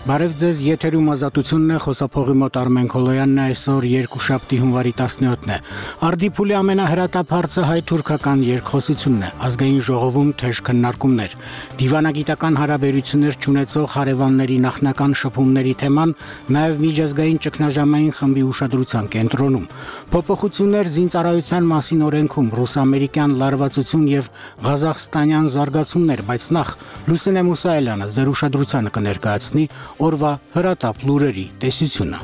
Բարև ձեզ, եթերում ազատությունն է, խոսափողի մոտ Արմեն Քոլոյանն է, այսօր երկուշաբթի հունվարի 17-ն է։ Արդիփուլի ամենահրատապ հարցը հայ-թուրքական երկխոսությունն է, ազգային ժողովում թեժ քննարկումներ։ Դիվանագիտական հարաբերություններ չունեցող հարևանների նախնական շփումների թեման նաև միջազգային ճգնաժամային խմբի ուշադրության կենտրոնում։ Փոփոխություններ զինծառայության մասին օրենքում, ռուս-ամերիկյան լարվածություն եւ ղազախստանյան զարգացումներ, բայց նախ Լուսինե Մուսայելյանը ձեր ուշադրությանը կներկայացնի օրվա հրատապ լուրերի տեսությունը։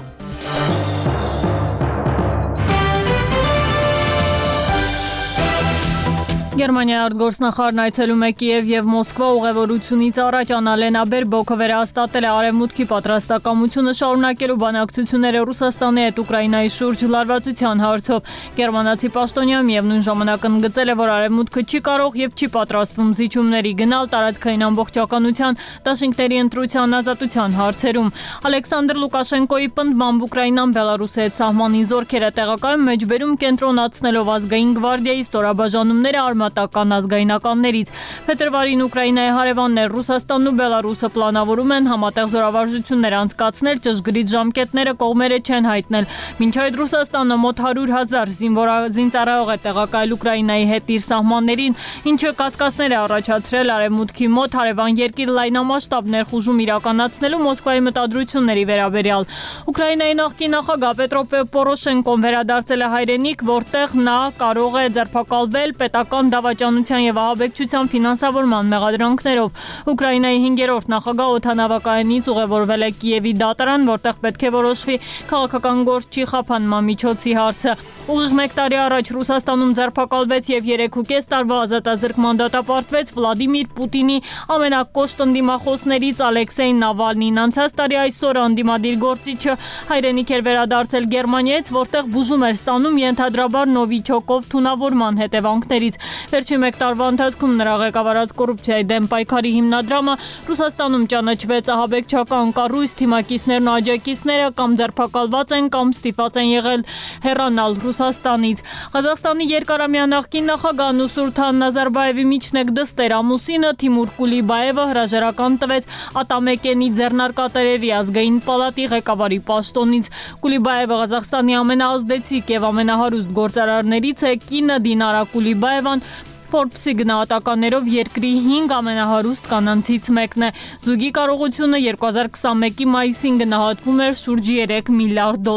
Գերմանիայի արտգործնախարարն այցելում է Կիև եւ Մոսկվա ուղևորությունից առաջ Աննալենա Բերբոկը վերահաստատել է արևմուտքի պատրաստակամությունը շարունակելու բանակցությունները Ռուսաստանի հետ Ուկրաինայի շուրջ լարվածության հարցով։ Գերմանացի պաշտոնյա միևնույն ժամանակ ընդգծել է, որ արևմուտքը չի կարող եւ չի պատրաստվում զիջումների գնալ տարածքային ամբողջականության, դաշինքների ընտրության ազատության հարցերում։ Ալեքսանդր Լուկաշենկոյի պնդմամբ Ուկրաինան Բելարուսի հետ սահմանին զորքեր է տեղակայում մեջբերում կենտրոնացնելով ազգային գվարդիայի ստորաբաժանումները արմատական ազգայնականներից։ Փետրվարին Ուկրաինայի հարևաններ Ռուսաստանն ու Բելարուսը պլանավորում են համատեղ զորավարժություններ անցկացնել, ճշգրիտ ժամկետները կողմերը չեն հայտնել։ Մինչ այդ Ռուսաստանը մոտ 100,000 զինծառայող է տեղակայել Ուկրաինայի հետ իր սահմաններին, ինչը կասկածներ է առաջացրել արևմուտքի մոտ հարևան երկիր լայնամասշտաբ ներխուժում իրականացնելու Մոսկվայի մտադրությունների վերաբերյալ։ Ուկրաինայի նախկին նախագահ Պետրո Պորոշենկոն վերադարձել է հայրենիք, որտեղ նա կարող է ձերբակալվել պետական դավաճանության եւ ահաբեկչության ֆինանսավորման մեղադրանքներով։ Ուկրաինայի 5-րդ նախագահ օդանավակայանից ուղևորվել է Կիևի դատարան, որտեղ պետք է որոշվի քաղաքական գործչի խափանման միջոցի հարցը։ Ուղիղ 1 տարի առաջ Ռուսաստանում ձերբակալվեց եւ 3.5 տարվա ազատազրկման դատապարտվեց Վլադիմիր Պուտինի ամենակոշտ ընդդիմախոսներից Ալեքսեյ Նավալնին։ Անցած տարի այսօր անդիմադիր գործիչը հայրենիք էր վերադարձել Գերմանիայից, որտեղ բուժում էր ստանում ենթադրաբար Նովիչոկով թունավորման հետևանքներից։ Վերջին 1 տարվա ընթացքում նրա ղեկավարած կոռուպցիայի դեմ պայքարի հիմնադրամը Ռուսաստանում ճանաչվեց ահաբեկչական կառույց, թիմակիցներն ու աջակիցները կամ ձերբակալված են կամ ստիպված են եղել հեռանալ Ռուսաստանից։ Ղազախստանի երկարամյա նախկին նախագահ Նուսուրթան Նազարբաևի միջնեկ դստեր ամուսինը Թիմուր Կուլիբաևը հրաժարական տվեց Ատամեկենի ձեռնարկատերերի ազգային պալատի ղեկավարի պաշտոնից։ Կուլիբաևը Ղազախստանի ամենաազդեցիկ եւ ամենահարուստ գործարարներից է, կինը Դինարա Կուլիբաևան Forbes-ի գնահատականներով երկրի 5 ամենահարուստ կանանցից մեկն է։ Զույգի կարողությունը 2021-ի մայիսին գնահատվում էր շուրջ $3 միլիարդ։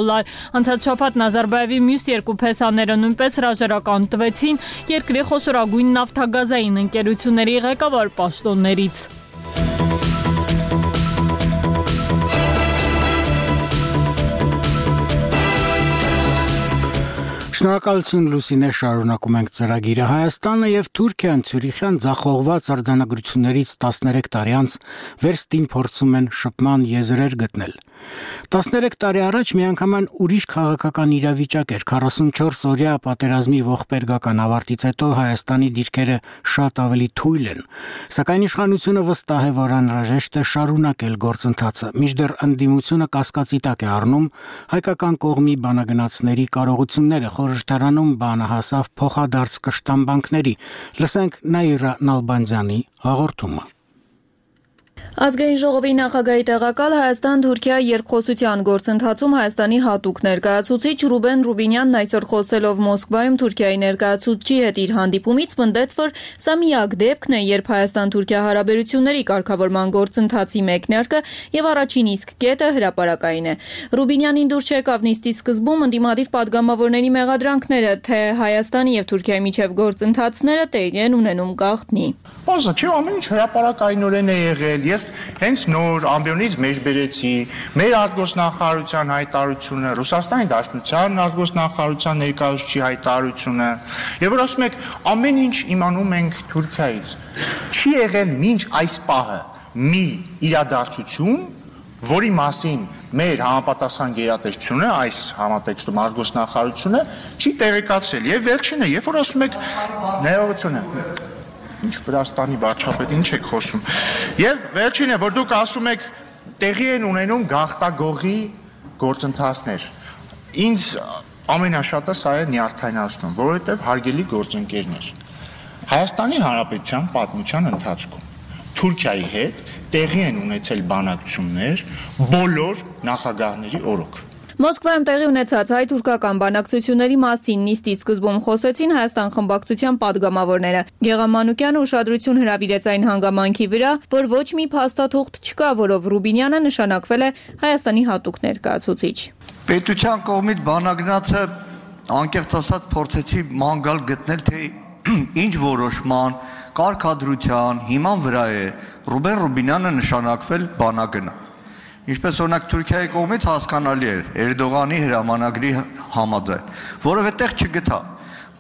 Անցած շաբաթ Նազարբաևի մյուս երկու փեսաները նույնպես հրաժարական տվեցին երկրի խոշորագույն նավթագազային ընկերությունների ղեկավար պաշտոններից։ Շնորհակալություն Լուսինե, շարունակում ենք ծրագիրը։ Հայաստանը եւ Թուրքիան Ցյուրիխյան ձախողված արձանագրություններից 13 տարի անց վերստին փորձում են շփման եզրեր գտնել։ 13 տարի առաջ միանգամայն ուրիշ քաղաքական իրավիճակ էր։ 44 օրյա պատերազմի ողբերգական ավարտից հետո Հայաստանի դիրքերը շատ ավելի թույլ են։ Սակայն իշխանությունը վստահ է, որ անհրաժեշտ է շարունակել գործընթացը, մինչդեռ ընդդիմությունը կասկածի տակ է առնում հայկական կողմի բանագնացների կարողությունները։ Խորհրդարանում բանը հասավ փոխադարձ կշտամբանքների։ Լսենք Նաիրա Նալբանդյանի հաղորդումը։ Ազգային ժողովի նախագահի տեղակալ Հայաստան-Թուրքիա երկխոսության գործընթացում Հայաստանի հատուկ ներկայացուցիչ Ռուբեն Ռուբինյանն այսօր խոսելով Մոսկվայում Թուրքիայի ներկայացուցչի հետ իր հանդիպումից պնդեց, որ սա միակ դեպքն է, երբ Հայաստան-Թուրքիա հարաբերությունների կարգավորման գործընթացի մեկնարկը եւ առաջին իսկ կետը հրապարակային է։ Ռուբինյանին դուր չեկավ նիստի սկզբում ընդդիմադիր падգամավորների մեղադրանքները, թե Հայաստանի եւ Թուրքիայի միջև գործընթացները տեղի են ունենում գաղտնի։ Բազա չի ամեն ինչ հրապարակայինորեն է եղել։ Ես հենց նոր ամբիոնից մեջ բերեցի մեր արտգործնախարարության հայտարարությունը, Ռուսաստանի Դաշնության արտգործնախարարության ներկայացուցչի հայտարարությունը, եւ որ ասում եք ամեն ինչ իմանում ենք Թուրքիայից։ Չի եղել մինչ այս պահը մի իրադարձություն, որի մասին մեր համապատասխան գերատեսչությունը, այս համատեքստում արտգործնախարարությունը չի տեղեկացրել։ Եվ վերջինը, երբ որ ասում եք ներողությունը, ինչ Վրաստանի վարչապետ, ինչ եք խոսում։ Եվ վերջինը, որ դուք ասում եք տեղի են ունենում գաղթագողի գործընթացներ։ Ինձ ամենաշատը սա է նյարդայնացնում, որովհետև հարգելի գործընկերներ, Հայաստանի Հանրապետության պատմության ընթացքում Թուրքիայի հետ տեղի են ունեցել բանակցություններ բոլոր նախագահների օրոք։ Մոսկվայում տեղի ունեցած հայ-թուրքական բանակցությունների մասին նիստի սկզբում խոսեցին Հայաստան խմբակցության պատգամավորները։ Գեղամ Մանուկյանը ուշադրություն հրավիրեց այն հանգամանքի վրա, որ ոչ մի փաստաթուղթ չկա, որով Ռուբինյանը նշանակվել է Հայաստանի հատուկ ներկայացուցիչ։ Պետության կողմից բանագնացը անկեղծ ասած փորձեցի ման գտնել, թե ինչ որոշման, կարգադրության հիման վրա է Ռուբեն Ռուբինյանը նշանակվել բանագնա։ Ինչպես օրինակ Թուրքիայի կողմից հասկանալի էր Էրդողանի հրամանագրի համաձայն, որևէ տեղ չգտա,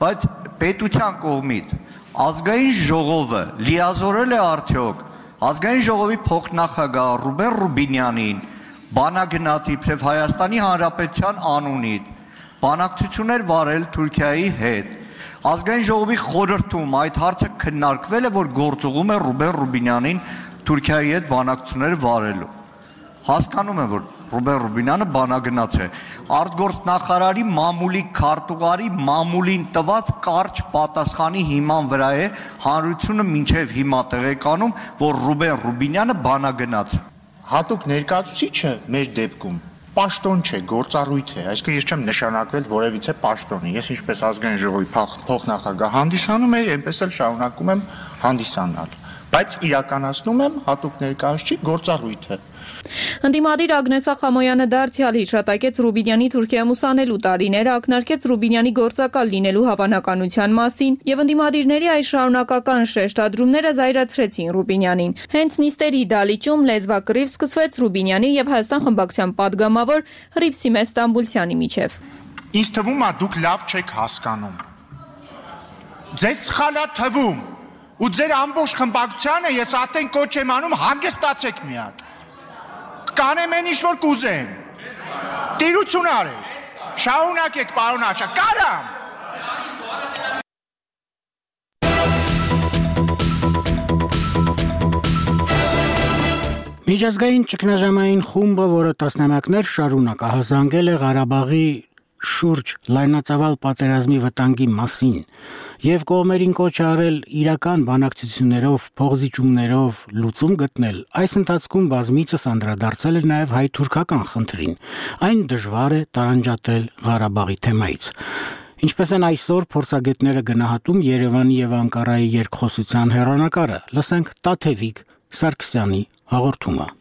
բայց պետության կողմից ազգային ժողովը լիազորել է արդյոք ազգային ժողովի փոխնախագահ Ռուբեն Ռուբինյանին բանագնացի իբրև Հայաստանի Հանրապետության անունից բանակցություններ վարել Թուրքիայի հետ։ Ազգային ժողովի խորհրդում այդ հարցը քննարկվել է, որ գործուղում է Ռուբեն Ռուբինյանին Թուրքիայի հետ բանակցություններ վարելու։ Հասկանում եմ, որ Ռուբեն Ռուբինյանը բանագնաց է։ Արտգործնախարարի մամուլի քարտուղարի մամուլին տված կարճ պատասխանի հիման վրա է հանրությունը մինչև հիմա տեղեկանում, որ Ռուբեն Ռուբինյանը բանագնաց։ Հատուկ ներկայացուցիչը մեր դեպքում պաշտոն չէ, գործառույթ է, այսինքն ես չեմ նշանակվել որևիցե պաշտոնի։ Ես ինչպես ազգային ժողովի փոխնախագահ հանդիսանում եմ, այնպես էլ շարունակում եմ հանդիսանալ, բայց իրականացնում եմ հատուկ ներկայացուցիչ գործառույթը։ Ընդդիմադիր Ագնեսա Խամոյանը դարձյալ հիշատակեց Ռուբինյանի Թուրքիայում ուսանելու տարիները, ակնարկեց Ռուբինյանի գործակալ լինելու հավանականության մասին եւ ընդդիմադիրների այս շարունակական շեշտադրումները զայրացրեցին Ռուբինյանին։ Հենց նիստերի դալիճում լեզվակռիվ սկսվեց Ռուբինյանի եւ Հայաստան խմբակցության պատգամավոր Հռիփսիմե Ստամբուլցյանի միջև։ Ինձ թվում է դուք լավ չեք հասկանում։ Ձեզ սխալ է թվում ու ձեր ամբողջ խմբակցությանը ես ատեն կոչ եմ անում հանգստացեք մի հատ։ Կանեմ են ինչ որ կուզեն։ Տիրություն արեք։ Շարունակեք, պարոն Աշա, կարամ։ Միջազգային ճգնաժամային խումբը, որը տասնամյակներ շարունակ ահազանգել է Ղարաբաղի շուրջ լայնածավալ պատերազմի վտանգի մասին եւ կողմերին կոչ արել իրական բանակցություններով, փոխզիջումներով լուծում գտնել, այս ընթացքում բազմիցս անդրադարձել է նաեւ հայ-թուրքական խնդրին։ Այն դժվար է տարանջատել Ղարաբաղի թեմայից։ Ինչպես են այսօր փորձագետները գնահատում Երևանի եւ Անկարայի երկխոսության հեռանկարը, լսենք Տաթևիկ Սարգսյանի հաղորդումը։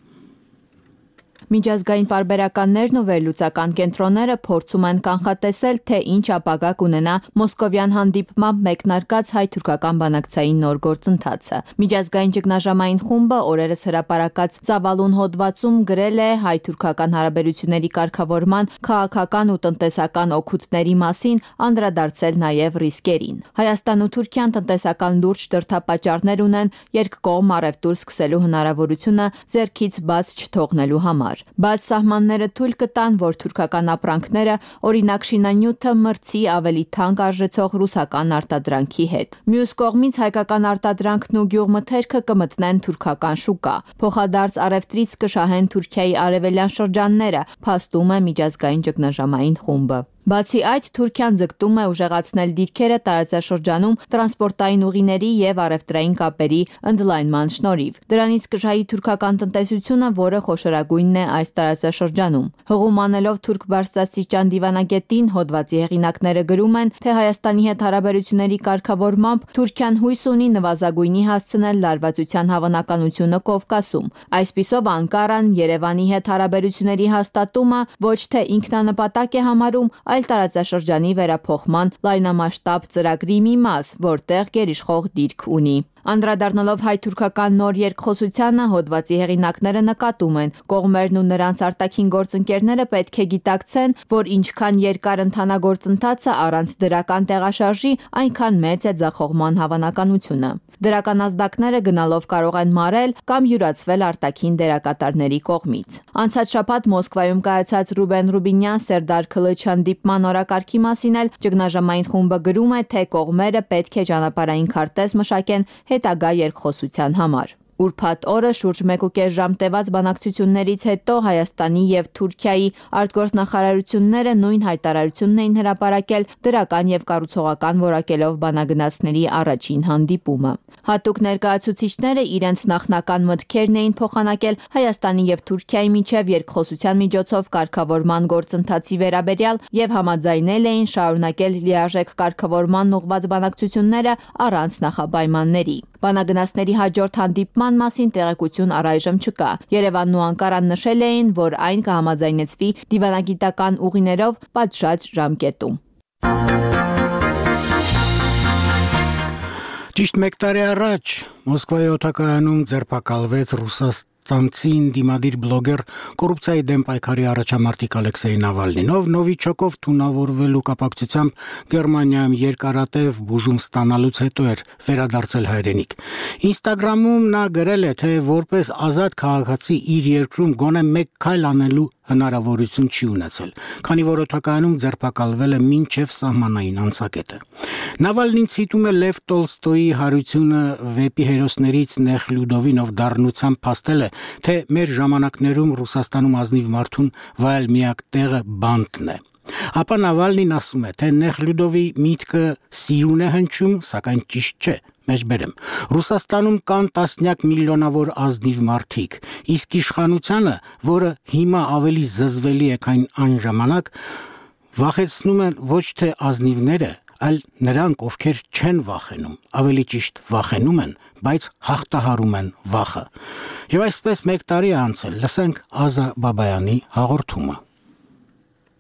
Միջազգային պարբերականներն ու վերլուծական կենտրոնները փորձում են կանխատեսել, թե ինչ ապագա կունենա մոսկովյան հանդիպմամբ մեկնարկած հայ-թուրքական բանակցային նոր գործընթացը։ Միջազգային ճգնաժամային խումբը օրերս հրապարակած ծավալուն հոդվածում գրել է հայ-թուրքական հարաբերությունների կարգավորման քաղաքական ու տնտեսական օգուտների մասին, անդրադարձել նաև ռիսկերին։ Հայաստան ու Թուրքիան տնտեսական լուրջ դրդապատճառներ ունեն երկկողմ առևտուր սկսելու հնարավորությունը ձեռքից բաց չթողնելու համար։ Բայց սահմանները թույլ կտան, որ թուրքական ապրանքները, օրինակ շինանյութը, մրցի ավելի թանկ արժեցող ռուսական արտադրանքի հետ։ Մյուս կողմից հայկական արտադրանքն ու գյուղմթերքը կմտնեն թուրքական շուկա։ Փոխադարձ առևտրից կշահեն Թուրքիայի արևելյան շրջանները, փաստում է միջազգային ճգնաժամային խումբը։ Բացի այդ, Թուրքիան ձգտում է ուժեղացնել դիրքերը տարածաշրջանում տրանսպորտային ուղիների եւ առևտրային կապերի ընդլայնման շնորհիվ։ Դրանից կժայի թուրքական տնտեսությունը, որը խոշորագույնն է այս տարածաշրջանում։ Հղում անելով թուրք բարձրաստիճան դիվանագետին, հոդվածի հեղինակները գրում են, թե Հայաստանի հետ հարաբերությունների կարգավորմամբ Թուրքիան հույս ունի նվազագույնի հասցնել լարվածության հավանականությունը Կովկասում։ Այսպիսով Անկարան Երևանի հետ հարաբերությունների հաստատումը ոչ թե ինքնանպատակ է համարում, այլ տարածաշրջանի վերափոխման լայնամասշտաբ ծրագրի մի մաս, որտեղ գերիշխող դիրք ունի։ Անդրադառնալով հայ-թուրքական նոր երկխոսությանը, հոդվածի հեղինակները նկատում են, կողմերն ու նրանց արտաքին գործընկերները պետք է գիտակցեն, որ ինչքան երկար ընթանա գործընթացը առանց դրական տեղաշարժի, այնքան մեծ է ձախողման հավանականությունը։ Դրական ազդակները գնալով կարող են մարել կամ յուրացվել արտաքին դերակատարների կողմից։ Անցած շաբաթ Մոսկվայում կայացած Ռուբեն Ռուբինյան Սերդար Քլիչյան դիպման օրակարգի մասին էլ ճգնաժամային խումբը գրում է, թե կողմերը պետք է ճանապարհային քարտեզ մշակեն հետագա երկխոսության համար։ Ուրբաթ օրը շուրջ 1.5 ժամ տևած բանակցություններից հետո Հայաստանի եւ Թուրքիայի արտգործնախարարությունները նույն հայտարարությունն էին հրապարակել դրական եւ կառուցողական որակելով բանագնացների առաջին հանդիպումը։ Հատուկ ներկայացուցիչները իրենց նախնական մտքերն էին փոխանակել Հայաստանի եւ Թուրքիայի միջև երկխոսության միջոցով կարգավորման գործընթացի վերաբերյալ եւ համաձայնել էին շարունակել լիարժեք կարգավորման ուղղված բանակցությունները առանց նախապայմանների։ Բանագնացների հաջորդ հանդիպման մասին տեղեկություն առայժմ չկա։ Երևանն ու Անկարան նշել էին, որ այն կհամաձայնեցվի դիվանագիտական ուղիներով պատշաճ ժամկետում։ Ճիշտ 1 տարի առաջ Մոսկվայի օդակայանում ձերբակալվեց ռուսաստանցի դիմադիր բլոգեր կոռուպցիայի դեմ պայքարի առաջամարտիկ Ալեքսեյ Նավալնին, ով Նովիչոկով թունավորվելու կապակցությամբ Գերմանիայում երկարատև բուժում ստանալուց հետո էր վերադարձել հայրենիք։ Ինստագրամում նա գրել է, թե որպես ազատ քաղաքացի իր երկրում գոնե մեկ քայլ անելու հնարավորություն չի ունեցել, քանի որ օդակայանում ձերբակալվել է մինչև սահմանային անցակետը։ Նավալնին ցիտում է Լև Տոլստոյի հարությունը վեպի հերոսներից Նեխլյուդովին, ով դառնությամբ փաստել է, թե մեր ժամանակներում Ռուսաստանում ազնիվ մարդուն վայել միակ տեղը բանտն է։ Ապա Նավալնին ասում է, թե Նեխլյուդովի միտքը սիրուն է հնչում, սակայն ճիշտ չէ։ Մեջբերեմ, Ռուսաստանում կան տասնյակ միլիոնավոր ազնիվ մարդիկ, իսկ իշխանությանը, որը հիմա ավելի զզվելի է, քան այն ժամանակ, վախեցնում են ոչ թե ազնիվները, այլ նրանք, ովքեր չեն վախենում, ավելի ճիշտ վախենում են, բայց հաղթահարում են վախը։ Եվ այսպես 1 տարի է անցել, լսենք Ազա Բաբայանի հաղորդումը։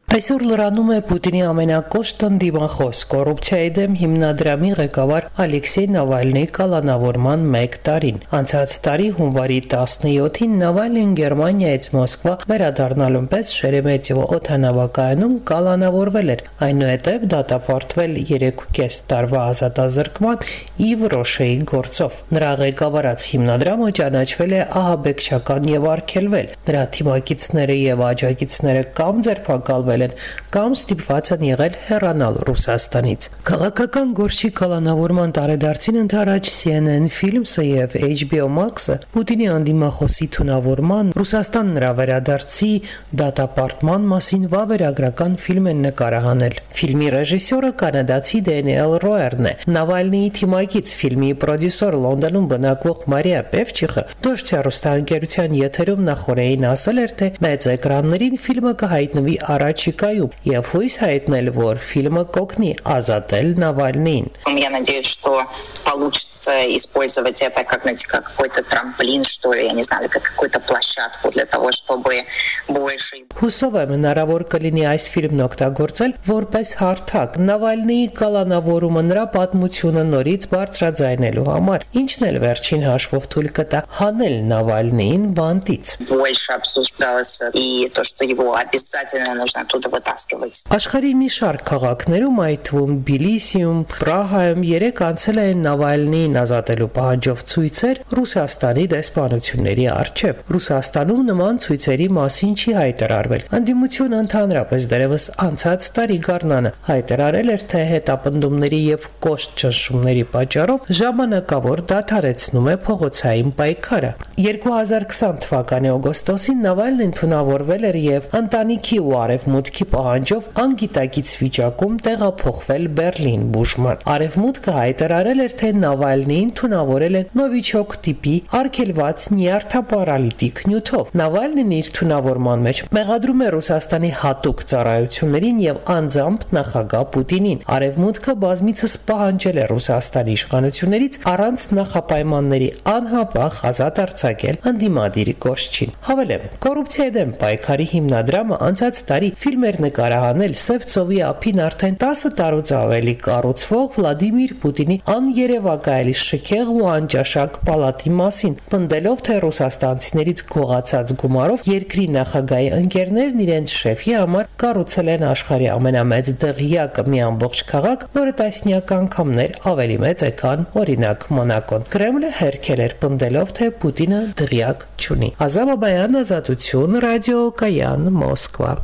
Այսօր լրանում է Պուտինի ամենակոշտ ընդդիմախոս կոռուպցիայի դեմ հիմնադրամի ղեկավար Ալեքսեյ Նավալնիի կալանավորման 1 տարին։ Անցած տարի հունվարի 17-ին Նավալնին Գերմանիայից Մոսկվա վերադառնալուն պես Շերեմետիևո օդանավակայանում կալանավորվել էր, այնուհետև դատապարտվել 3.5 տարվա ազատազրկման ի Վրոշեի գործով։ Նրա ղեկավարած հիմնադրամը ճանաչվել է ահաբեկչական եւ արգելվել։ Նրա թիմակիցները եւ աջակիցները կամ ձերբակալվել կամ ստիպված են եղել հեռանալ Ռուսաստանից։ Քաղաքական գործի կալանավորման տարեդարձին ընդառաջ CNN Films-ը եւ HBO Max-ը Պուտինի անդիմախոսի թունավորման, Ռուսաստան նրա վերադարձի դատապարտման մասին վավերագրական ֆիլմ են նկարահանել։ Ֆիլմի ռեժիսորը կանադացի Դենիել Ռոերն է։ Նավալնիի թիմակից ֆիլմի պրոդյուսեր Լոնդոնում բնակվող Մարիա Պևչիխը Դոշ հեռուստաընկերության եթերում նախորդին ասել էր, թե մեծ էկրաններին ֆիլմը կհայտնվի առաջ եւ հույս հայտնել, որ ֆիլմը կօգնի ազատել Նավալնիին։ Я надеюсь, что получится использовать это как, знаете, как какой-то трамплин, что ли, я не знаю, как какую-то площадку для того, чтобы больше... Հուսով եմ հնարավոր կլինի այս ֆիլմն օգտագործել որպես հարթակ Նավալնիի կալանավորումը նրա պատմությունը норից բարձրաձայնելու համար, ինչն էլ վերջին հաշվով թույլ կտա հանել Նավալնիին բանտից։ Больше обсуждалось и то, что его обязательно нужно оттуда вытаскивать. Աշխարհի մի շարք քաղաքներում, այդ թվում Բիլիսիում, Պրահայում երեք անցել են Նավալնիին ազատելու պահանջով ցույցեր Ռուսաստանի դեսպանությունների առջև։ Ռուսաստանում նման ցույցերի մասին չի հայտարարվել։ Անդիմությունը ընդհանրապես դեռևս անցած տարի գարնանը հայտարարել էր, թե հետապնդումների եւ կոշտ ճնշումների պատճառով ժամանակավոր դադարեցնում է փողոցային պայքարը։ 2020 թվականի օգոստոսին Նավալնին թունավորվել էր եւ ընտանիքի ու արևմուտքի պահանջով անգիտակից վիճակում տեղափոխվել Բերլին բուժման։ Արևմուտքը հայտարարել էր, թե Նավալնիին թունավորել են Նովիչոկ տիպի արգելված նյարդապարալիտիկ նյութով։ Նավալնին իր թունավորման մեջ մեղադրում է Ռուսաստանի հատուկ ծառայություններին եւ անձամբ նախագահ Պուտինին։ Արևմուտքը բազմիցս պահանջել է Ռուսաստանի իշխանություններից առանց նախապայմանների անհապաղ ազատ արձակել ընդդիմադիր գործչին։ Հավելեմ, կոռուպցիայի դեմ պայքարի հիմնադրամը անցած տարի ֆիլմ էր նկարահանել Սևծովի ափին արդեն 10 տարուց ավելի կառուցվող Վլադիմիր Պուտինի աներևակայելի շքեղ ու անճաշակ պալատի մասին, պնդելով, թե ռուսաստանցիներից գողացած գումարով երկրի նախագահի ընկերներն իրենց շեֆի համար կառուցել են աշխարհի ամենամեծ դղյակը, մի ամբողջ քաղաք, որը տասնյակ անգամներ ավելի մեծ է, քան օրինակ Մոնակոն։ Կրեմլը հերքել էր, պնդելով, թե Պուտինը դղյակ չունի։ Ազա Բաբայան, Ազատություն, ռադիո Կայան, Մոսկվա։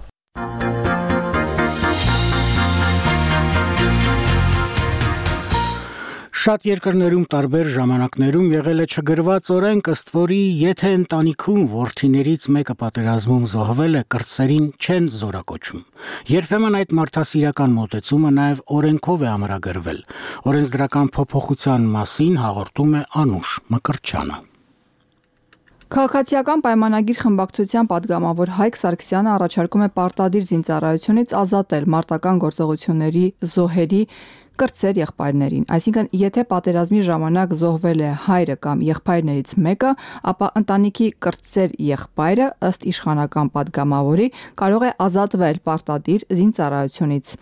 Շատ երկրներում տարբեր ժամանակներում եղել է չգրված օրենք, ըստ որի եթե ընտանիքում որդիներից մեկը պատերազմում զոհվել է, կրտսերին չեն զորակոչում։ Երբեմն այդ մարդասիրական մոտեցումը նաև օրենքով է ամրագրվել։ Օրենսդրական փոփոխության մասին հաղորդում է Անուշ Մկրտչյանը։ Քաղաքացիական պայմանագիր խմբակցության падգամավոր Հայկ Սարգսյանը առաջարկում է պարտադիր զինծառայությունից ազատել մարտական գործողությունների զոհերի կրտսեր եղբայրներին, այսինքն եթե պատերազմի ժամանակ զոհվել է հայրը կամ եղբայրներից մեկը, ապա ընտանիքի կրտսեր եղբայրը ըստ իշխանական падգամավորի կարող է ազատվել պարտադիր զինծառայությունից։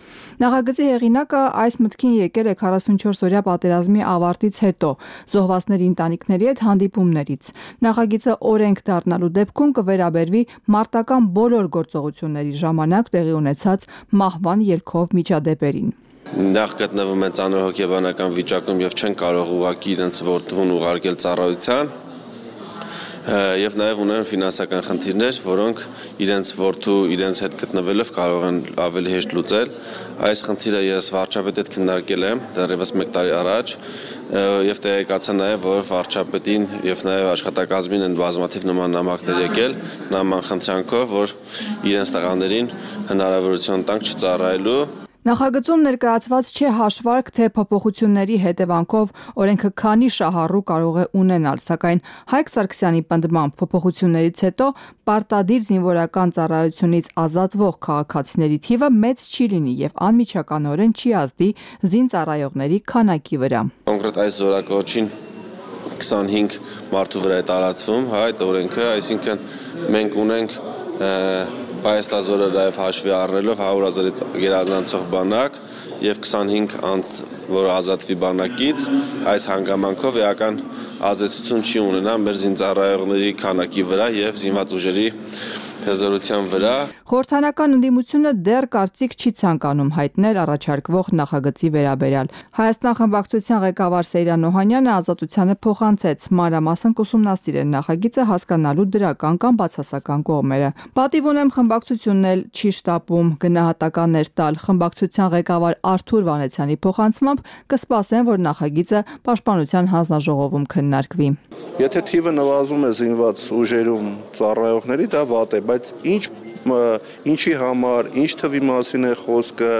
Նախագծի հեղինակը այս մտքին եկել է 44-օրյա պատերազմի ավարտից հետո զոհվածների ընտանիքների հետ հանդիպումներից։ Նախագիծը օրենք դառնալու դեպքում կվերաբերվի մարտական բոլոր գործողությունների ժամանակ տեղի ունեցած մահվան ելքով միջադեպերին։ Նախ գտնվում են ծանր հոգեբանական վիճակում եւ չեն կարող ուղղակի իրենց որդուն ուղարկել ծառայության եւ նաեւ ունեն ֆինանսական խնդիրներ, որոնք իրենց որդու իրենց հետ գտնվելով կարող են ավելի հեշտ լուծել։ Այս խնդիրը ես վարչապետի հետ քննարկել եմ դեռևս 1 տարի առաջ եւ տեղեկացա նաեւ, որ վարչապետին եւ նաեւ աշխատակազմին են բազմաթիվ նման նամակներ եկել նման խնդրանքով, որ իրենց տղաներին հնարավորություն տանք չծառայելու։ Նախագծում ներկայացված չէ հաշվարկ, թե փոփոխությունների հետևանքով օրենքը քանի շահառու կարող է ունենալ, սակայն Հայկ Սարգսյանի պնդմամբ փոփոխություններից հետո պարտադիր զինվորական ծառայությունից ազատվող քաղաքացիների թիվը մեծ չի լինի եւ անմիջականորեն չի ազդի զինծառայողների քանակի վրա։ Կոնկրետ այս զորակոչին 25 մարդու վրա է տարածվում այդ օրենքը, այսինքն մենք ունենք Հայաստազորը նաև հաշվի առնելով 100,000-ից գերազանցող բանակ եւ 25 անց, որ ազատվի բանակից, այս հանգամանքով էական ազդեցություն չի ունենա մեր զինծառայողների քանակի վրա եւ զինված ուժերի հզորության վրա։ Խորհրդանական ընդդիմությունը դեռ կարծիք չի ցանկանում հայտնել առաջարկվող նախագծի վերաբերյալ։ Հայաստան խմբակցության ղեկավար Սեյրան Օհանյանը Ազատությանը փոխանցեց մանրամասն կուսումնասիրել նախագիծը հասկանալու դրական կամ բացասական կողմերը։ Պատիվ ունեմ խմբակցությունն էլ չի շտապում գնահատականներ տալ։ Խմբակցության ղեկավար Արթուր Վանեցյանի փոխանցմամբ կսպասեն, որ նախագիծը Պաշտպանության հանձնաժողովում քննարկվի։ Եթե թիվը նվազում է զինված ուժերում ծառայողների, դա վատ է, բայց ինչի համար, ինչ թվի մասին է խոսքը,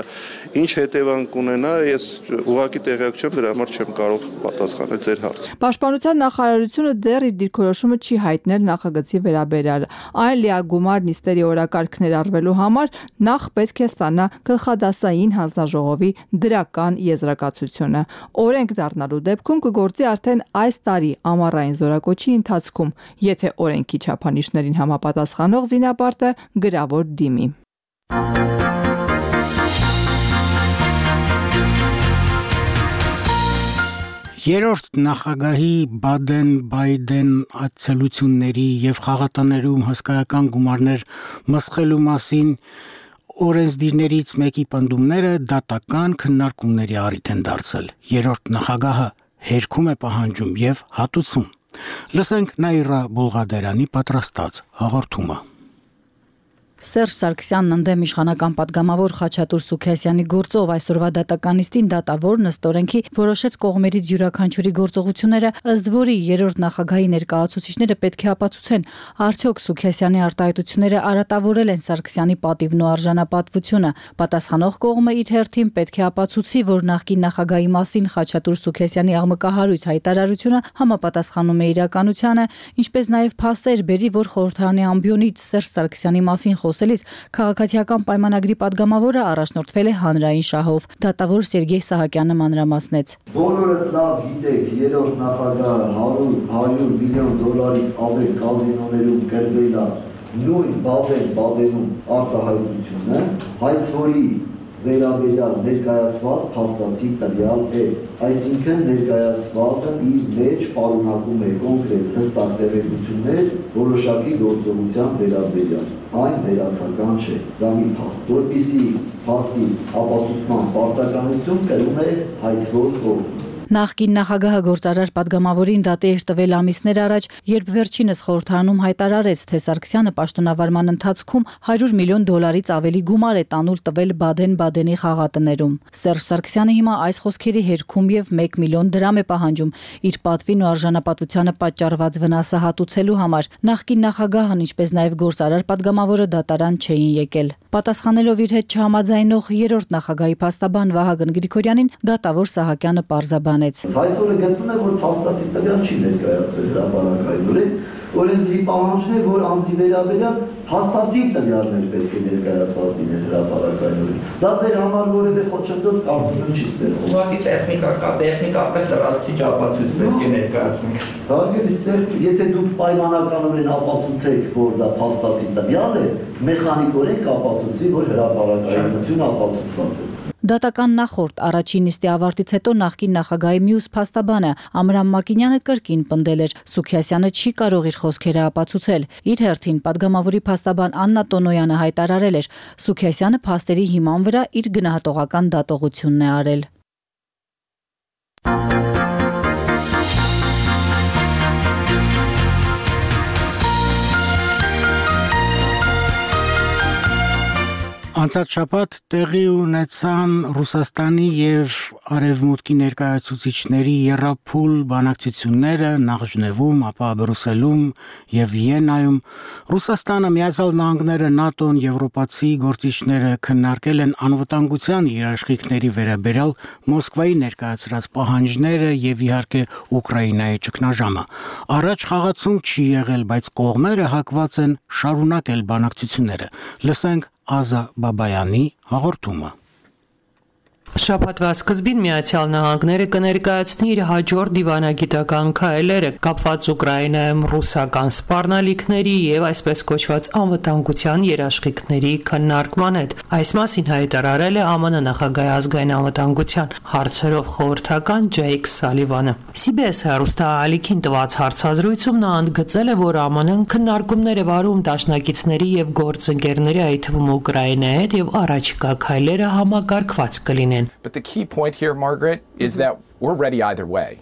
ինչ հետևանք ունենա, ես ուղղակի տեղյակ չեմ, դրա համար չեմ կարող պատասխանել ձեր հարցին։ Պաշտպանության նախարարությունը դեռ իր դիրքորոշումը չի հայտնել նախագծի վերաբերյալ։ Այն լիագումար նիստերի օրակարգ ներառվելու համար նախ պետք է ստանա գլխադասային հանձնաժողովի դրական եզրակացությունը։ Օրենք դառնալու դեպքում կգործի արդեն այս տարի ամառային զորակոչի ընթացքում, եթե օրենքի չափանիշներին համապատասխանող զինապարտը գրավոր դիմի։ Երրորդ նախագահի Բադեն-Բայդեն այցելությունների եւ խաղատաներում հսկայական գումարներ մսխելու մասին օրենսդիրներից մեկի պնդումները դատական քննարկումների առիթ են դարձել։ Երրորդ նախագահը հերքում է պահանջում եւ հատուցում։ Լսենք Նաիրա Բուլղադերյանի պատրաստած հաղորդումը։ Սերժ Սարգսյանն ընդդեմ իշխանական падգամավոր Խաչատուր Սուքիասյանի գործով այսօրվա դատականիստին դատավոր ըստ օրենքի որոշեց կողմերից յուրաքանչյուրի գործողությունները, ըստ որի երրորդ նախագահի ներկայացուցիչները պետք է ապացուցեն, արդյոք Սուքիասյանի արտահայտությունները արատավորել են Սարգսյանի պատիվն ու արժանապատվությունը։ Պատասխանող կողմը իր հերթին պետք է ապացուցի, որ նախկին նախագահի մասին Խաչատուր Սուքիասյանի աղմկահարույց հայտարարությունը համապատասխանում է իրականությանը, ինչպես նաև փաստեր բերի, որ խորհրդարանի ամբիոնից Սերժ Սարգսյանի մասին խոսելիս քաղաքացիական պայմանագրի падգամավորը առաջնորդվել է հանրային շահով։ Դատավոր Սերգեյ Սահակյանը մանրամասնեց։ Բոլորս լավ գիտեք, երրորդ նախագահը 100 միլիոն դոլարից ավել կազինոներում կրվել է նույն Բադեն-Բայդենում արտահայտությունը, հայց որի վերաբերյալ ներկայացված փաստացի տվյալ է, այսինքն ներկայացվածը իր մեջ պարունակում է կոնկրետ հստակ տեղեկություններ որոշակի գործողության վերաբերյալ, այն վերացական չէ, դա մի փաստ, որպիսի փաստի ապացուցման պարտականություն կրում է հայցվոր կողմը։ Նախկին նախագահը գործարար падգամավորին դատի էր տվել ամիսներ առաջ, երբ վերջինս խորհրդարանում հայտարարեց, թե Սարգսյանը պաշտոնավարման ընթացքում $100 միլիոն ավելի գումար է տանուլ տվել Բադեն-Բադենի խաղատներում։ Սերժ Սարգսյանը հիմա այս խոսքերի հերքում եւ $1 միլիոն է պահանջում իր պատվին ու արժանապատվությանը պատճառված վնասը հատուցելու համար։ Նախկին նախագահն, ինչպես նաեւ գործարար падգամավորը դատարան չէին եկել։ Պատասխանելով իր հետ չհամաձայնող երրորդ նախագահի փաստաբան Վահագն Գրիգորյանին, դատավոր Սահակյանը պարզաբանեց. Այսօր գտնում է, որ փաստացի տվյալ չի ներկայացվել հրապարակայնորեն, օրենսդրի պահանջն է, որ անձի վերաբերյալ փաստացի տվյալներ պետք է ներկայացված լինեն հրապարակայնորեն։ Դա ձեր համար որևէ խոչընդոտ կարծում եմ չի ստեղծում։ Ուղղակի տեխնիկապես լրացուցիչ ապացույց պետք է ներկայացնենք։ Հարգելի, եթե դուք պայմանականորեն ապացուցեք, որ դա փաստացի տվյալ է, մեխանիկորեն կապացուցվի, որ հրապարակայնությունը ապացուցված է։ Դատական նախորդ առաջին նիստի ավարտից հետո նախկին նախագահի մյուս փաստաբանը Ամրամ Մակինյանը կրկին պնդել էր, Սուքիասյանը չի կարող իր խոսքերը ապացուցել։ Իր հերթին падգամավորի փաստաբան Աննա Տոնոյանը հայտարարել էր, Սուքիասյանը փաստերի հիման վրա իր գնահատողական դատողությունն է արել։ Անցած շաբաթ տեղի ունեցան Ռուսաստանի եւ Արևմուտքի ներկայացուցիչների եռափուլ բանակցությունները նախ Ժնևում, ապա Բրյուսելում եւ Վիեննայում։ Ռուսաստանը, Միացյալ Նահանգները, ՆԱՏՕ-ն, եվրոպացի գործիչները քննարկել են անվտանգության երաշխիքների վերաբերյալ Մոսկվայի ներկայացրած պահանջները եւ իհարկե Ուկրաինայի ճգնաժամը։ Առաջ խաղացում չի եղել, բայց կողմերը հակված են շարունակել բանակցությունները։ Լսենք Ազա Բաբայանի հաղորդումը։ Շաբաթվա սկզբին Միացյալ Նահանգները կներկայացնի իր հաջորդ դիվանագիտական քայլերը կապված Ուկրաինայում ռուսական սպառնալիքների եւ այսպես կոչված անվտանգության երաշխիքների քննարկման հետ։ Այս մասին հայտարարել է ԱՄՆ նախագահի ազգային անվտանգության հարցերով խորհրդական Ջեյք Սալիվանը։ CBS հեռուստաալիքին տված հարցազրույցում նա ընդգծել է, որ ԱՄՆ-ն քննարկումներ է վարում դաշնակիցների եւ գործընկերների, այդ թվում Ուկրաինայի հետ եւ առաջիկա քայլերը համակարգված կլինեն։ But the key point here, Margaret, is that we're ready either way.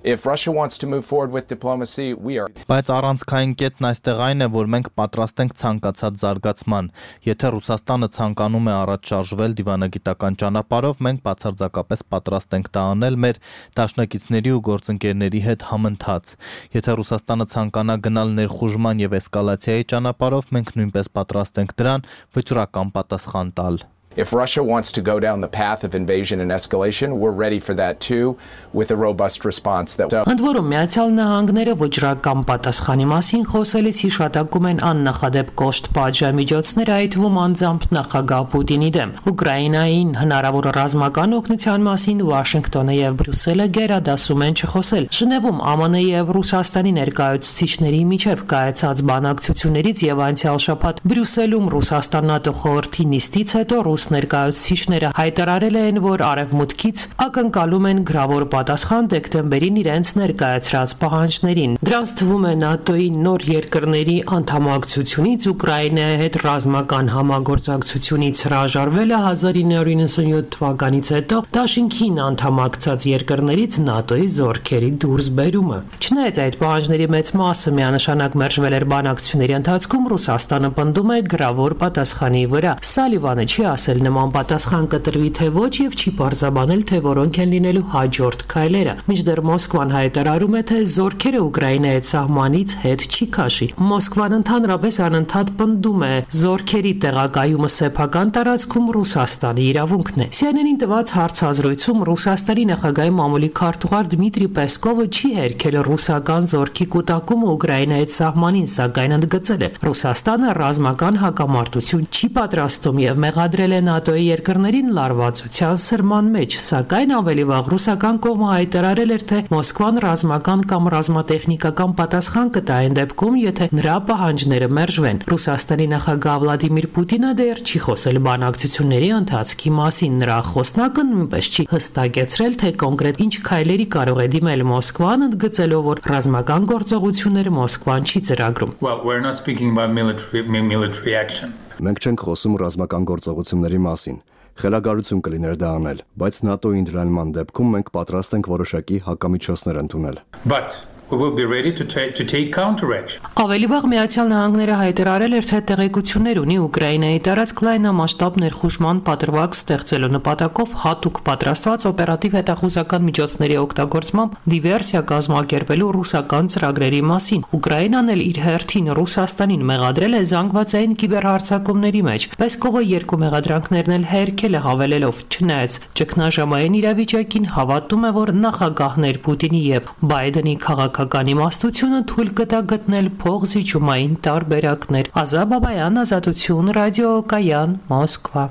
If Russia wants to move forward with diplomacy, we are. Բայց առանցքային կետն այստեղ այն է, որ մենք պատրաստ ենք ցանկացած զարգացման։ Եթե Ռուսաստանը ցանկանում է առաջ շարժվել դիվանագիտական ճանապարհով, մենք բացարձակապես պատրաստ ենք դա անել մեր դաշնակիցների ու գործընկերների հետ համընթաց։ Եթե Ռուսաստանը ցանկանա գնալ ներխուժման եւ էսկալացիայի ճանապարհով, մենք նույնպես պատրաստ ենք դրան վճռական պատասխան տալ։ If Russia wants to go down the path of invasion and escalation, we're ready for that too, with a robust response that. Ընդ որում Միացյալ Նահանգները ոչրական պատասխանի մասին խոսելիս հիշատակում են աննախադեպ կոշտ պատժամիջոցներ, այդ թվում անձամբ նախագահ Պուտինի դեմ։ Ուկրաինային հնարավոր ռազմական օգնության մասին Վաշինգտոնը եւ Բրյուսելը գերադասում են չխոսել։ Ժնևում ԱՄՆ եւ Ռուսաստանի ներկայացուցիչների միջև կայացած բանակցություններից եւ անցյալ շաբաթ Բրյուսելում Ռուսաստան-ՆԱՏՕ խորհրդի նիստից հետո ներկայացուցիչները հայտարարել են, որ Արևմուտքից ակնկալում են գրավոր պատասխան դեկտեմբերին իրենց ներկայացրած պահանջներին։ Դրանց թվում է ՆԱՏՕ-ի նոր երկրների անդամակցությունից Ուկրաինայի հետ ռազմական համագործակցությունից հրաժարվելը 1997 թվականից հետո Դաշինքին անդամակցած երկրներից ՆԱՏՕ-ի զորքերի դուրսբերումը։ Չնայած այդ պահանջների մեծ մասը միանշանակ մերժվել էր բանակցությունների ընթացքում, Ռուսաստանը պնդում է գրավոր պատասխանի վրա։ Սալիվանը չի ասել նման պատասխան կտրվի թե ոչ եւ չի պարզաբանել, թե որոնք են լինելու հաջորդ քայլերը։ Մինչդեռ Մոսկվան հայտարարում է, թե զորքերը Ուկրաինայի սահմանից հետ չի քաշի։ Մոսկվան ընդհանրապես անընդհատ պնդում է զորքերի տեղակայումը սեփական տարածքում Ռուսաստանի իրավունքն է։ CNN-ին տված հարցազրույցում Ռուսաստանի նախագահի մամուլի քարտուղար Դմիտրի Պեսկովը չի հերքել ռուսական զորքի կուտակումը Ուկրաինայի սահմանին, սակայն ընդգծել է, Ռուսաստանը ռազմական հակամարտություն չի պատրաստում եւ մեղադրել է ՆԱՏՕ-ի երկրներին լարվածության սրման մեջ, սակայն ավելի վաղ ռուսական կողմը հայտարարել էր, թե Մոսկվան ռազմական կամ ռազմատեխնիկական պատասխան կտա այն դեպքում, եթե նրա պահանջները մերժվեն։ Ռուսաստանի նախագահ Վլադիմիր Պուտինը դեռ չի խոսել բանակցությունների ընթացքի մասին, նրա խոսնակը նույնպես չի հստակեցրել, թե կոնկրետ ինչ քայլերի կարող է դիմել Մոսկվան, ընդգծելով, որ ռազմական գործողությունները Մոսկվան չի ծրագրում։ Well, we're not speaking about military action. Մենք չենք խոսում ռազմական գործողությունների մասին։ Խելագարություն կլիներ դա անել, բայց ՆԱՏՕ-ի ընդլայնման դեպքում մենք պատրաստ ենք որոշակի հակամիջոցներ ընդունել։ But we will be ready to take counteraction. Ավելի վաղ Միացյալ Նահանգները հայտարարել էր, թե տեղեկություններ ունի Ուկրաինայի տարածք լայնամասշտաբ ներխուժման պատրվակ ստեղծելու նպատակով հատուկ պատրաստված օպերատիվ հետախուզական միջոցների օգտագործմամբ դիվերսիա կազմակերպելու ռուսական ծրագրերի մասին։ Ուկրաինան էլ իր հերթին Ռուսաստանին մեղադրել է զանգվածային կիբերհարձակումների մեջ, բայց կողը երկու մեղադրանքներն էլ հերքել է հավելելով, չնայած ճգնաժամային իրավիճակին հավատում է, որ նախագահներ Պուտինի եւ Բայդենի քաղաքական իմաստությունը թույլ կտա գտնել փողզիջումային տարբերակներ։ Ազա Բաբայան, Ազատություն, ռադիոկայան, Մոսկվա։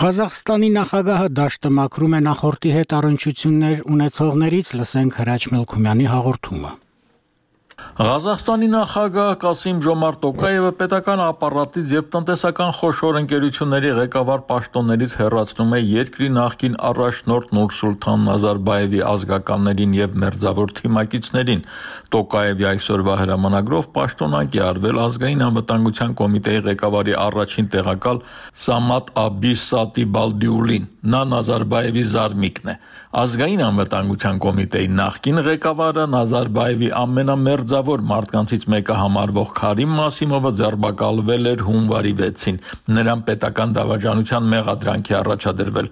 Ղազախստանի նախագահը դաշտը մաքրում է նախորդի հետ առնչություններ ունեցողներից, լսենք Հրաչ Մելքումյանի հաղորդումը։ Ղազախստանի նախագահ Կասիմ Ժոմարտ Տոկաևը պետական ապարատից եւ տնտեսական խոշոր ընկերությունների ղեկավար պաշտոններից հեռացնում է երկրի նախկին առաջնորդ Նուրսուլթան Նազարբաևի ազգականներին եւ մերձավոր թիմակիցներին։ Տոկաևի այսօրվա հրամանագրով պաշտոնանկ է արվել ազգային անվտանգության կոմիտեի ղեկավարի առաջին տեղակալ Սամատ Աբիս Սատիբալդիուլին։ Նա Նազարբաևի զարմիկն է։ Ազգային անվտանգության կոմիտեի նախկին ղեկավարը Նազարբաևի ամենամերձավոր մարդկանցից մեկը համարվող Քարիմ Մասիմովը ձերբակալվել էր հունվարի 6-ին։ Նրան պետական դավաճանության մեղադրանք է առաջադրվել։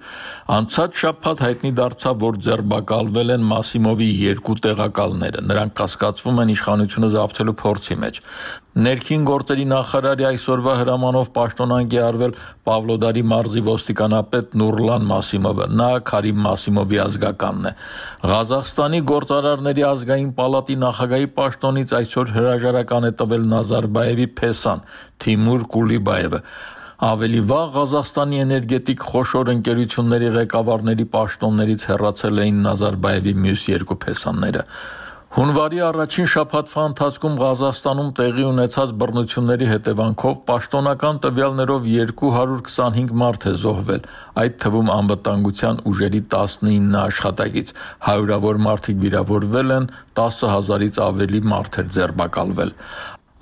Անցած շաբաթ հայտնի դարձավ, որ ձերբակալվել են Մասիմովի երկու տեղակալները։ Նրանք կասկածվում են իշխանությունը զավթելու փորձի մեջ։ Ներքին գործերի նախարարի այսօրվա հրամանով պաշտոնանկ է արվել Պավլոդարի մարզի ոստիկանապետ Նուրլան Մասիմովը։ Նա Քարիմ Մասիմովի ազգականն է։ Ղազախստանի գործարարների ազգային պալատի նախագահի պաշտոնից այսօր հրաժարական է տվել Նազարբաևի փեսան Թիմուր Կուլիբաևը։ Ավելի վաղ Ղազախստանի էներգետիկ խոշոր ընկերությունների ղեկավարների պաշտոններից հեռացել էին Նազարբաևի մյուս երկու փեսանները։ Հունվարի առաջին շաբաթվա ընթացքում Ղազախստանում տեղի ունեցած բռնությունների հետևանքով պաշտոնական տվյալներով 225 մարդ է զոհվել, այդ թվում անվտանգության ուժերի 19 աշխատակից, հարյուրավոր մարդիկ վիրավորվել են, 10,000-ից ավելի մարդ է ձերբակալվել։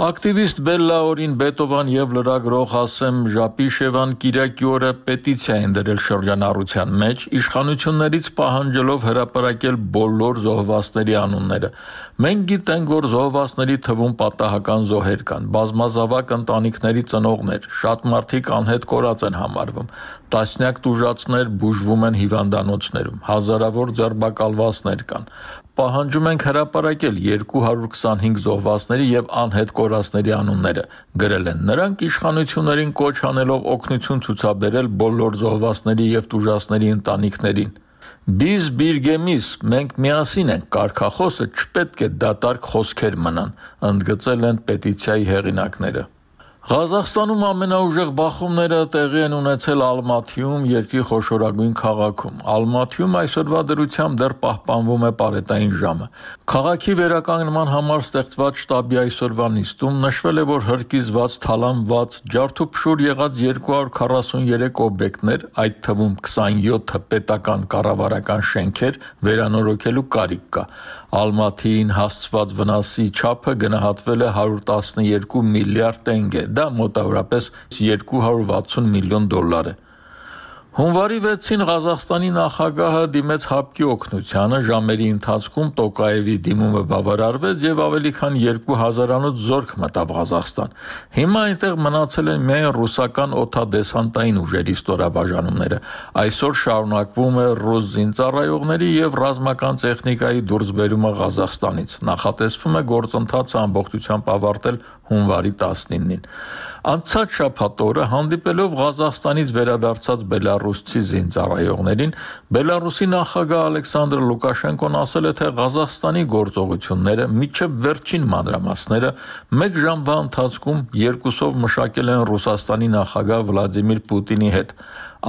Ակտիվիստ Բելլաորին Բետովան եւ լրագրող Հասեմ Ժապիշևան Կիրակի օրը պետիցիա են դրել շրջանառության մեջ, իշխանություններից պահանջելով հրապարակել բոլոր զոհվածների անունները։ Մենք գիտենք, որ զոհվածների թվում պատահական զոհեր կան, բազմազավակ ընտանիքների ծնողներ, շատ մարդիկ անհետ կորած են համարվում, տասնյակ տուժածներ բուժվում են հիվանդանոցներում, հազարավոր ձերբակալվածներ կան։ Պահանջում ենք հրապարակել 225 զոհվածների եւ անհետ կորածների անունները, գրել են նրանք իշխանություններին կոչ անելով օգնություն ցուցաբերել բոլոր զոհվածների եւ տուժածների ընտանիքներին։ Biz birgemiz, մենք միասին ենք, կարգախոսը չպետք է դատարկ խոսքեր մնան, ընդգծել են պետիցիայի հեղինակները։ Ղազախստանում ամենաուժեղ բախումները տեղի են ունեցել Ալմաթիում, երկրի խոշորագույն քաղաքում։ Ալմաթիում այսօրվա դրությամբ դեռ պահպանվում է պարետային ժամը։ Քաղաքի վերականգնման համար ստեղծված շտաբի այսօրվա նիստում նշվել է, որ հրկիզված, թալանված, ջարդուփշուր եղած 243 օբյեկտներ, այդ թվում 27-ը պետական կառավարական շենքեր, վերանորոգելու կարիք կա։ Ալմաթիին հասցված վնասի չափը գնահատվել է 112 միլիարդ տենգե, դա մոտավորապես 260 միլիոն դոլար է։ Հունվարի 6-ին Ղազախստանի նախագահը դիմեց ՀԱՊԿ-ի օգնությանը, ժամերի ընթացքում Տոկաևի դիմումը բավարարվեց եւ ավելի քան 2000-անոց զորք մտավ Ղազախստան։ Հիմա այնտեղ մնացել են միայն ռուսական օդադեսանտային ուժերի ստորաբաժանումները։ Այսօր շարունակվում է ռուս զինծառայողների եւ ռազմական տեխնիկայի դուրսբերումը Ղազախստանից։ Նախատեսվում է գործընթացը ամբողջությամբ ավարտել հունվարի 19-ին։ Անցած շաբաթ օրը հանդիպելով Ղազախստանից վերադարձած բելարուսցի զինծառայողներին, Բելարուսի նախագահ Ալեքսանդր Լուկաշենկոն ասել է, թե Ղազախստանի գործողությունները միջև վերջին մանրամասները մեկ ժամվա ընթացքում երկուսով մշակել են Ռուսաստանի նախագահ Վլադիմիր Պուտինի հետ։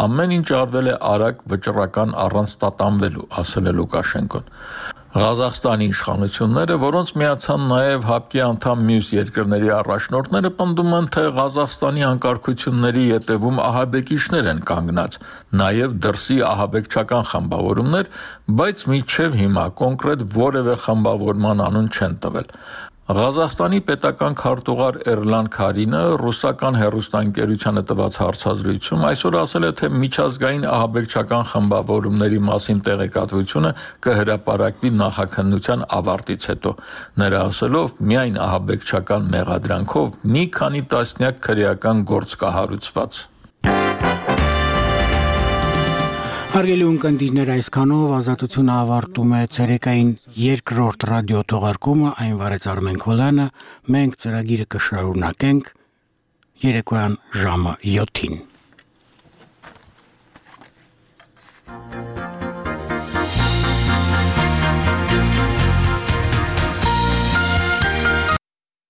Ամեն ինչ արվել է արագ, վճռական, առանց տատանվելու, ասել է Լուկաշենկոն։ Ղազախստանի իշխանությունները, որոնց միացան նաև ՀԱՊԿ-ի անդամ մյուս երկրների առաջնորդները, պնդում են, թե Ղազախստանի անկարգությունների ետևում ահաբեկիչներ են կանգնած, նաև դրսի ահաբեկչական խմբավորումներ, բայց մինչև հիմա կոնկրետ որևէ խմբավորման անուն չեն տվել։ Ղազախստանի պետական քարտուղար Էրլան Քարինը ռուսական հեռուստաընկերությանը տված հարցազրույցում այսօր ասել է, թե միջազգային ահաբեկչական խմբավորումների մասին տեղեկատվությունը կհրապարակվի նախաքննության ավարտից հետո։ Նրա ասելով, միայն ահաբեկչական մեղադրանքով մի քանի տասնյակ քրեական գործ կա հարուցված։ Հարգելի ունկնդիրներ, այսքանով Ազատությունը ավարտում է ցերեկային երկրորդ ռադիո թողարկումը, այն վարեց Արմեն Քոլյանը, մենք ծրագիրը կշարունակենք երեկոյան ժամը 7-ին։